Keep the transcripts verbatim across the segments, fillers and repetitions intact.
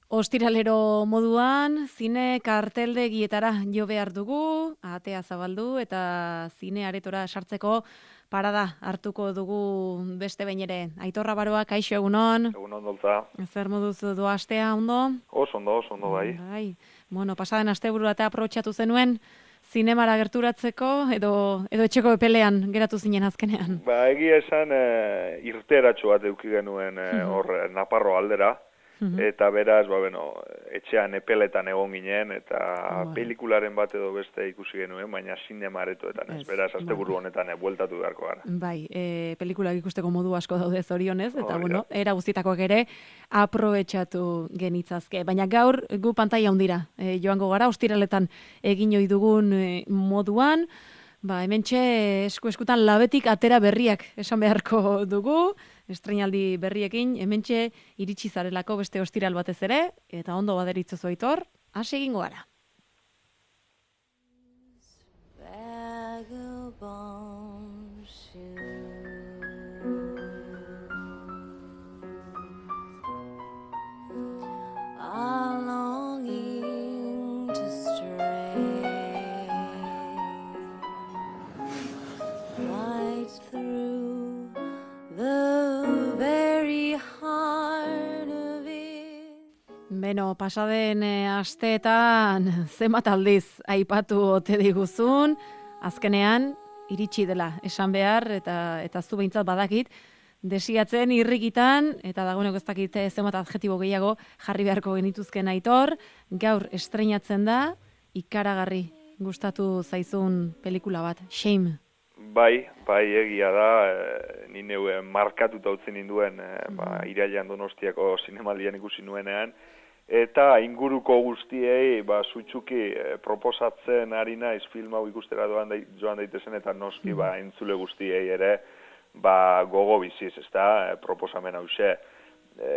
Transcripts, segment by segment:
Ostiralero moduan, zine karteldegietara jo behar dugu, atea zabaldu eta zine aretora sartzeko parada hartuko dugu beste behin ere. Aitor Abaroa, kaixo egunon. Egunon dolta. Zer moduz doa astea, ondo? Oso ondo, oso ondo bai. Bai. Bueno, pasaden asteburu eta aprobetxatu zenuen, zinemara gerturatzeko edo edo etxeko epelean geratu zinen azkenean. Ba, egia esan e, irteratxo bat eduki genuen e, hor e, Naparro aldera. Eta beraz, ba, bueno, etxean epeletan egon ginen, eta bueno, pelikularen bat edo beste ikusi genuen, baina zinema aretoetan ez. Beraz, asteburu honetan e, bueltatu beharko gara. Bai, e, pelikulak ikusteko modu asko daude zorionez, eta oh, bueno, era guztitakoak ere aprobetxatu genitzazke. Baina gaur gu pantaila hundira e, joango gara, ostiraletan egin ohi dugun e, moduan, ba, hementxe esku-eskutan labetik atera berriak esan beharko dugu, estreinaldi berriekin, hementxe iritsi zarelako beste ostiral batez ere, eta ondo baderitzu Aitor, hasi egingo gara. Beno, pasaden e, asteetan zenbat aldiz aipatu ote diguzun, azkenean iritsi dela esan behar, eta eta zu behintzat badakit, desiatzen irrikitan, eta dagoeneko ez dakit zenbat adjetibo gehiago jarri beharko genituzken Aitor, gaur estreinatzen da, ikaragarri gustatu zaizun pelikula bat, Shame. Bai, bai egia da, e, ni neu markatuta utzen ninduen, e, ba, irailean Donostiako zinemaldian ikusi nuenean, eta inguruko guztiei ba sutsuki e, proposatzen ari naiz film hau ikustera doan dai, joan daitezen eta noski ba entzule guztiei ere ba gogo biziz, ezta, e, proposamen hauxe. E,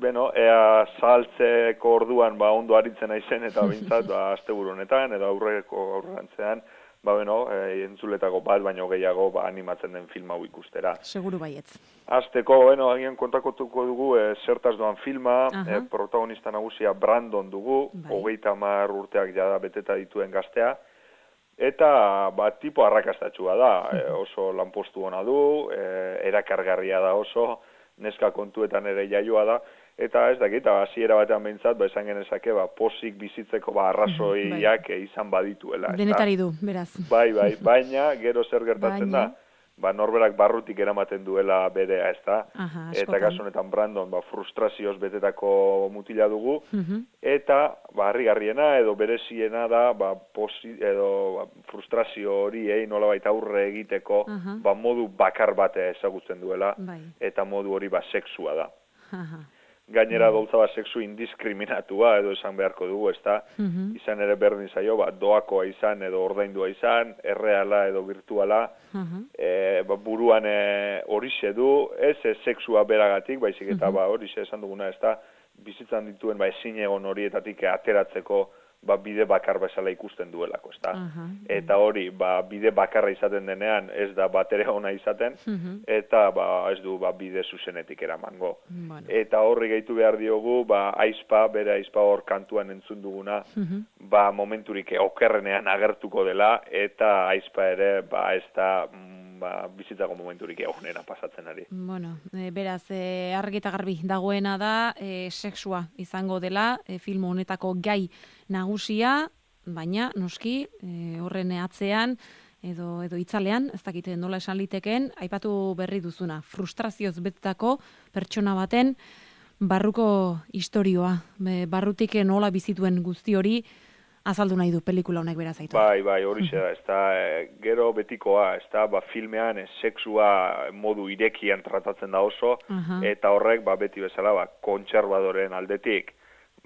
beno, ea saltzeko orduan ba ondo aritzen naizen eta behintzat ba asteburu honetan edo aurreko aurrantzean ba beno, e, entzuletako bat baino gehiago ba animatzen den film hau ikustera. Seguru baietz. Azteko, bueno, agian kontakotuko dugu e, zertaz doan filma, e, protagonista nagusia Brandon dugu, hogeita hamar urteak jada beteta dituen gaztea, eta ba, tipo arrakastatxua da, e, oso lanpostu ona du, e, erakargarria da oso, neska kontuetan ere jaioa da, eta ez dakit, hasiera batean behintzat, ba, esan genezake, ba, posik bizitzeko ba, arrazoiak bai, izan badituela. Denetari du, beraz. Bai, bai, baina gero zer gertatzen baina da, ba, norberak barrutik eramaten duela berea, ez da? Aha, eta kasu honetan Brandon ba, frustrazioz betetako mutila dugu, uh-huh. eta ba, harrigarriena edo bereziena da ba, posi, edo ba, frustrazio horiei nolabait aurre egiteko uh-huh. ba, modu bakar bate ezagutzen duela, bai. Eta modu hori ba, sexua da. Uh-huh. Gainera mm. doltza bat sexu indiskriminatua edo esan beharko dugu, ezta? Mm-hmm. Izan ere berdin zaio, ba, doakoa izan edo ordaindua izan, erreala edo virtuala, mm-hmm. e, ba, buruan horixe du, ez e, sexua beragatik, baizik eta mm-hmm. ba, horixe esan duguna, ezta? Bizitzan dituen ba, ezin egon horietatik ateratzeko ba, bide bakar bezala ikusten duelako, ezta? Uh-huh. Eta hori, ba, bide bakarra izaten denean, ez da batere ona izaten, uh-huh. eta ba, ez du ba, bide zuzenetik eramango. Bueno. Eta horri gehitu behar diogu, ba, aizpa, bere aizpa hor kantuan entzun duguna, uh-huh. ba, momenturik okerrenean agertuko dela, eta aizpa ere, ba, ez da ba, bizitzako momenturik egonera pasatzen ari. Bueno, e, beraz, e, argi eta garbi dagoena da, e, sexua izango dela, e, film honetako gai nagusia, baina noski e, horren atzean edo edo itzalean, ez dakite nola esan liteken, aipatu berri duzuna, frustrazioz betetako pertsona baten barruko istorioa, e, barrutik nola bizituen guzti hori azaldu nahi du pelikula honek beraz Aitor. Bai, bai, hori da, ez da, e, gero betikoa, ez da, ba, filmean e, sexua modu irekian tratatzen da oso, uh-huh. eta horrek, ba, beti bezala, ba, kontserbadoren aldetik,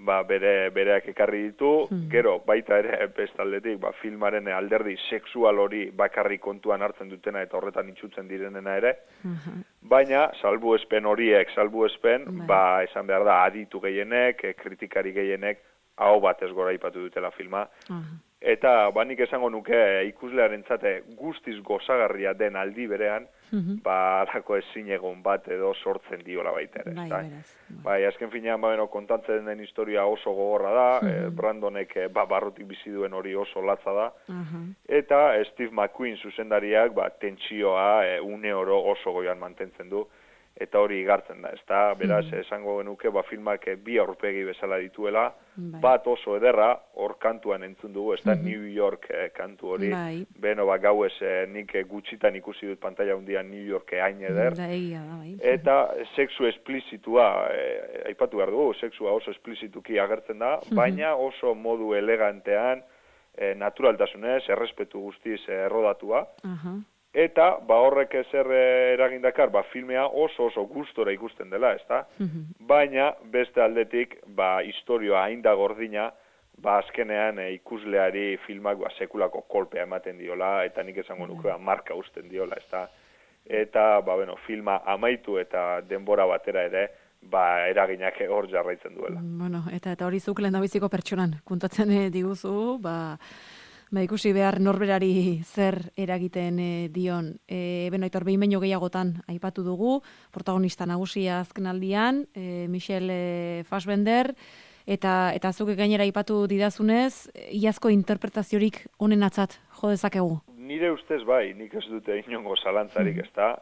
ba, bere, bereak ekarri ditu, uh-huh. gero, baita ere, bestaldetik, ba, filmaren alderdi sexual hori bakarrik kontuan hartzen dutena eta horretan itxutzen direnena ere, uh-huh. baina, salbuespen horiek, salbuespen, uh-huh. ba, esan behar da, aditu gehienek, kritikari gehienek, hau batez gora ipatu dutela filma. Uh-huh. Eta banik esango nuke ikuslearentzat guztiz gozagarria den aldi berean, ba, alako ezin egon bat edo sortzen diola baita ere. Bai, beraz. Bai, azken finean, ba, beno, kontatzen den historia oso gogorra da, eh, Brandonek eh, ba, barrutik bizi duen hori oso latza da, eta Steve McQueen zuzendariak, ba, tentsioa eh, une oro oso goian mantentzen du, eta hori igartzen da, ezta, beraz, esango genuke, ba, filmak bi aurpegi bezala dituela, bai. Bat oso ederra, hor kantuan entzun dugu, ez da, New York eh, kantu hori, bai. Beno, ba, gauez, eh, nik gutxitan ikusi dut pantalla hundian New York hain eder, da, egia, da, bai. Eta sexu esplizitua, eh, aipatu behar dugu, sexua oso esplizituki agertzen da, baina oso modu elegantean, eh, naturaltasunez, errespetu guztiz eh, errodatua, uh-huh. Eta, ba horrek ezer eragindakar, ba filmea oso oso gustora ikusten dela, ezta? Baina, beste aldetik, ba historioa hain da gordina, ba azkenean e, ikusleari filmak ba, sekulako kolpea ematen diola, eta nik esango nuke marka usten diola, ezta? Eta, ba bueno, filma amaitu eta denbora batera ere, ba eraginak hor jarraitzen duela. Bueno, eta eta hori zuk lehendabiziko pertsonan kontatzen e, diguzu, ba... Ba, ikusi behar norberari zer eragiten e, dion. E, beno, aitor, behin baino gehiagotan aipatu dugu, protagonista nagusia azkenaldian, e, Michelle e, Fassbender, eta, eta zuke gainera aipatu didazunez, iazko interpretaziorik honen atzat jo dezakegu. Nire ustez bai, nik ez dute inongo zalantzarik, ez da,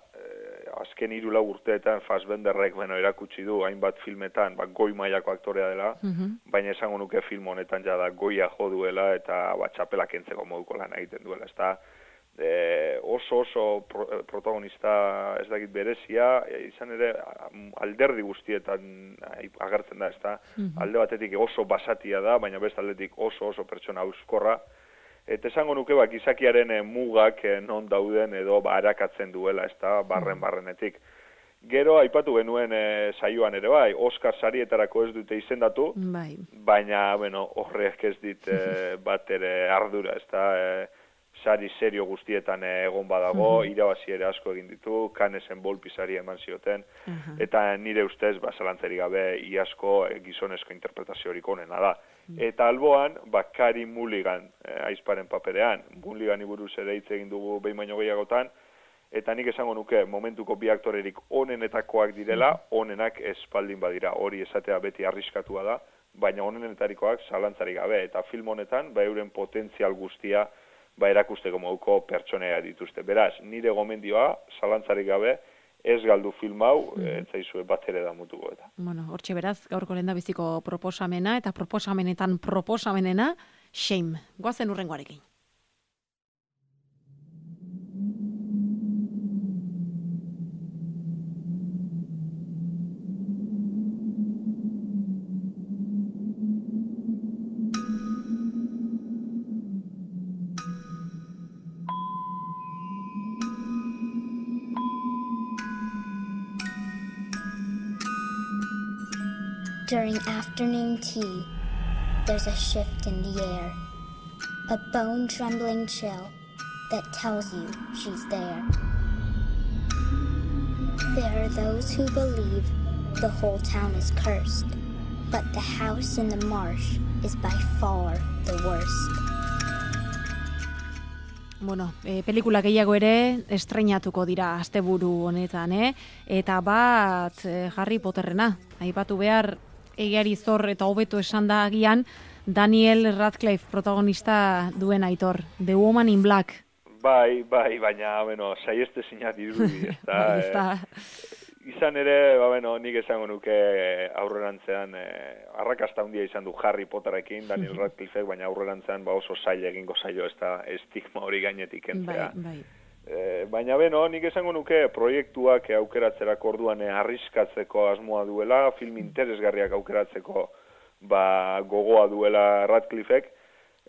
azken hiru lau urteetan Fassbenderrek beno erakutsi du hainbat filmetan, ba, goi mailako aktorea dela, uh-huh. baina esango nuke film honetan ja da goia jo duela eta ba, txapela kentzeko moduko lan egiten duela, ezta? E, oso oso pro, protagonista ez dakit berezia, e, izan ere alderdi guztietan agertzen da, ezta? Uh-huh. Alde batetik oso basatia da, baina beste aldetik oso oso pertsona auskorra. Eta esango nuke bak izakiaren e, mugak e, non dauden edo ba, arakatzen duela, ez da, barren-barrenetik. Gero, aipatu genuen e, saioan ere bai, Oscar sarietarako ez dute izendatu, bai. Baina, bueno, horrek ez dit e, bat ere ardura, ez da, e, sari serio guztietan e, egon badago, uh-huh. irabazi ere asko egin ditu, Cannesen Volpi sari eman zioten, uh-huh. eta nire ustez, ba, zalantzerik gabe, iazko e, gizonezko interpretaziorik onena da. Eta alboan, ba, Carey Mulligan eh, aizparen paperean, Mulligani buruz ere hitz egin dugu behin baino gehiagotan, eta nik esango nuke momentuko bi aktorerik onenetakoak direla, onenak espaldin badira, hori esatea beti arriskatua da, baina onenetarikoak zalantzarik gabe, eta film honetan, ba, euren potentzial guztia, ba, erakusteko moduko pertsonea dituzte. Beraz, nire gomendioa, zalantzarik gabe, ez galdu film hau, mm. ez zaizue bat ere da mutuko eta. Bueno, hortxe beraz, gaurko lehendabiziko proposamena, eta proposamenetan proposamenena, Shame. Goazen urrengoarekin. During afternoon tea, there's a shift in the air, a bone-trembling chill that tells you she's there. There are those who believe the whole town is cursed, but the house in the marsh is by far the worst. Bueno, e, pelikula gehiago ere estreinatuko dira asteburu honetan, eh? Eta bat e, Harry Potterrena, aipatu behar egiari zor eta hobeto esan da agian Daniel Radcliffe protagonista duen Aitor, The Woman in Black. Bai, bai, baina, bueno, saieste zinat irudi, ez da. Ez da. Izan ere, ba, bueno, nik esango nuke aurrerantzean, eh, arrakasta handia izan du Harry Potterrekin, Daniel Radcliffe, baina aurrerantzean ba oso zaila egingo zaio, ez da, estigma hori gainetik entzea. Bai, bai. E, baina beno, nik esango nuke proiektuak aukeratzerako orduan arriskatzeko asmoa duela, film interesgarriak aukeratzeko ba, gogoa duela Radcliffek,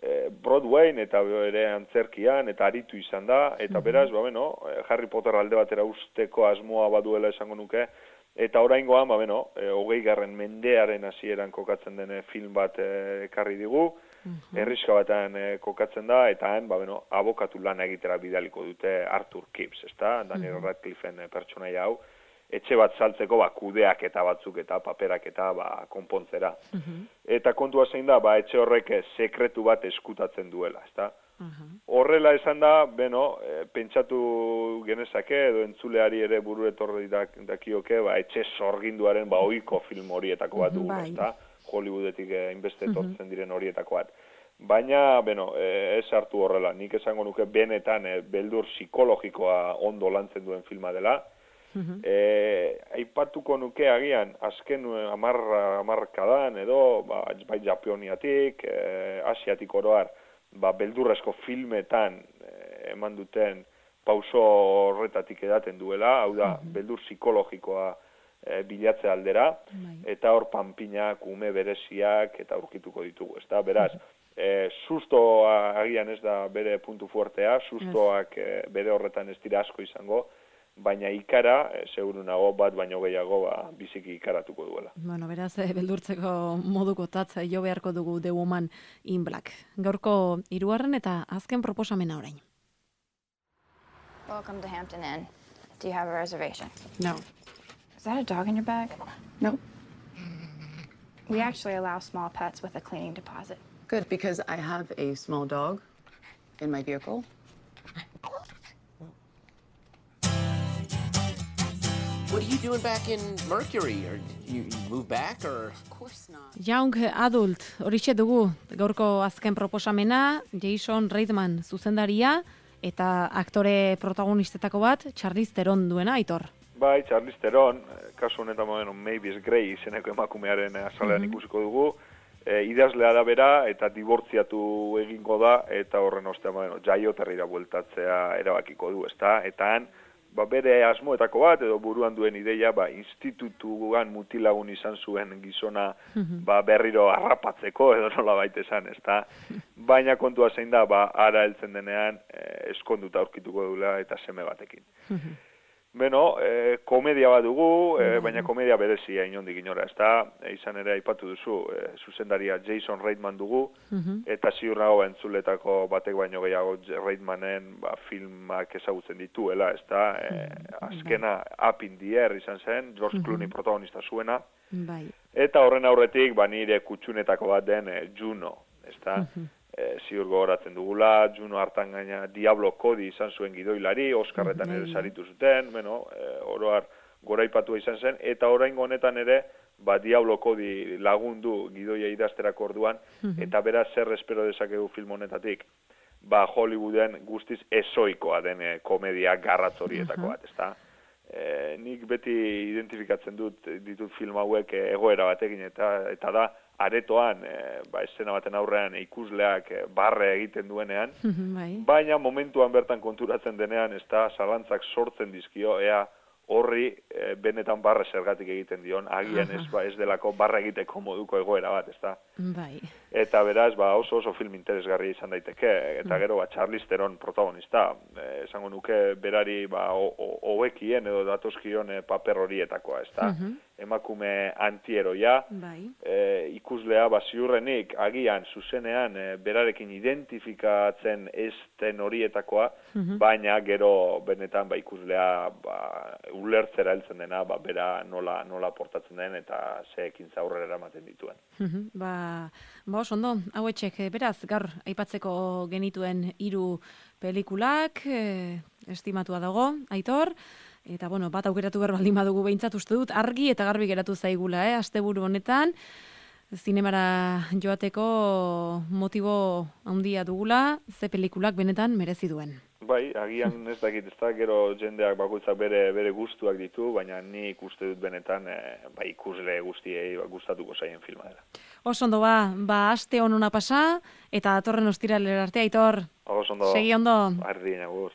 e, Broadwayn eta ere antzerkian eta aritu izan da, eta beraz, ba, beno, Harry Potter alde batera usteko asmoa baduela esango nuke, eta oraingoan, ba, beno, e, hogei garren mendearen hasieran kokatzen den film bat ekarri digu, Uh-huh. Erriska batean eh, kokatzen da, eta han, ba, bueno, abokatu lana egitera bidaliko dute Arthur Kipps, ezta? Daniel uh-huh. Radcliffen eh, pertsonaia hau, etxe bat saltzeko ba, kudeak eta batzuk eta paperak eta ba, konpontzera. Uh-huh. Eta kontua zein da, ba, etxe horrek sekretu bat eskutatzen duela, ezta? Uh-huh. horrela esan da, beno, e, pentsatu genezake, edo entzuleari ere buru etorri dak, dakioke, ba, etxe sorginduaren ba, oiko film horietako bat dugu, bai. ezta? Hollywoodetik hainbeste etortzen diren horietako bat. Baina, beno, e, ez hartu horrela, nik esango nuke benetan e, beldur psikologikoa ondo lantzen duen filma dela. Uh-huh. E, aipatuko nuke agian, azken amarra, amarkadan edo, ba, bai Japoniatik, e, Asiatik oroar, ba, beldurrezko filmetan e, eman duten pauso horretatik edaten duela, hau da, uh-huh. beldur psikologikoa e, bilatze aldera, uh-huh. eta hor panpinak, ume bereziak, eta aurkituko ditugu, ezta? Beraz, uh-huh. e, sustoa agian ez da bere puntu fuertea, sustoak e, bere horretan ez dira asko izango, baina ikara, e, seguru nago bat baino gehiago ba, biziki ikaratuko duela. Bueno, beraz, e, beldurtzeko moduko tatza jo beharko dugu The Woman in Black. Gaurko hirugarren eta azken proposamena orain. Welcome to Hampton Inn. Do you have a reservation? No. Is that a dog in your bag? No. We actually allow small pets with a cleaning deposit. Good, because I have a small dog in my vehicle. What are you doing back in Mercury? Or you, you move back, or? Of course not. Young Adult, horixe dugu, gaurko azken proposamena, Jason Reitman zuzendaria, eta aktore protagonistetako bat, Charlize Theron duena, Aitor. Bai, Charlize Theron, kasu honetan bueno, Mavis Gray izeneko emakumearen azalean mm-hmm. ikusiko dugu, e, idazlea da bera, eta dibortziatu egingo da, eta horren ostean bueno, jaioterrira bueltatzea erabakiko du, ezta? Eta han, ba, bere asmoetako bat, edo buruan duen ideia, ba, institutuan mutilagun izan zuen gizona mm-hmm. ba, berriro harrapatzeko, edo nola baita esan, ezta? Baina kontua zein da, ba, ara heltzen denean, eh, eskonduta aurkituko dula eta seme batekin. Mm-hmm. Beno, e, komedia bat dugu, e, baina komedia berezia inondik inora, ezta? E, izan ere aipatu duzu, e, zuzendaria Jason Reitman dugu, uh-huh. eta ziur nago entzuletako batek baino gehiago Reitmanen ba, filmak ezagutzen dituela, ezta? E, azkena Up in the Air izan zen, George uh-huh. Clooney protagonista zuena, bai. Eta horren aurretik, ba, nire kutxunetako bat den e, Juno, ezta? Uh-huh. E, ziur gogoratzen dugula, Juno hartan gaina Diablo Cody izan zuen gidoilari, Oskarretan ere saritu zuten, bueno, e, oroar goraipatua izan zen, eta oraingo honetan ere, ba, Diablo Cody lagundu gidoia idazterako orduan, eta beraz zer espero dezakegu film honetatik, ba, Hollywooden guztiz ezoikoa den e, komedia garratz horietako bat, ezta? E, nik beti identifikatzen dut ditut film hauek e, egoera batekin, eta, eta da, aretoan, e, ba, esena baten aurrean ikusleak e, barre egiten duenean, baina momentuan bertan konturatzen denean, ez da, zalantzak sortzen dizkio, ea horri e, benetan barre zergatik egiten dion, agian ez, ba, ez delako barre egiteko moduko egoera bat, ez da. Bai. Eta beraz, ba, oso oso film interesgarria izan daiteke, eta gero, ba, Charlize Theron protagonista, e, esango nuke berari, ba, hobekien edo datozkion e, paper horietakoa, ez da. Uh-huh. Emakume antieroia, bai. e, ikuslea, ba, ziurrenik, agian, zuzenean, e, berarekin identifikatzen ezten horietakoa, uh-huh. baina gero benetan, ba, ikuslea, ba, ulertzera heltzen dena, ba, bera nola, nola portatzen den, eta ze ekintza aurrera eramaten dituen. Uh-huh. Ba, ba, oso ondo, hau etxek, beraz, gaur, aipatzeko genituen hiru pelikulak, e, estimatua dago, Aitor, eta, bueno, bat aukeratu behar baldin badugu behintzat uste dut, argi eta garbi geratu zaigula, eh? Asteburu honetan, zinemara joateko motibo handia dugula, ze pelikulak benetan merezi duen. Bai, agian ez dakit, ez da, gero jendeak bakoitzak bere, bere gustuak ditu, baina nik uste dut benetan e, ba, ikusle guztiei ba, gustatuko zaien filma dela. Oso ondo ba, ba aste honuna pasa, eta datorren ostiralera arte, Aitor. Oso ondo. Segi ondo. Ardi, nagur.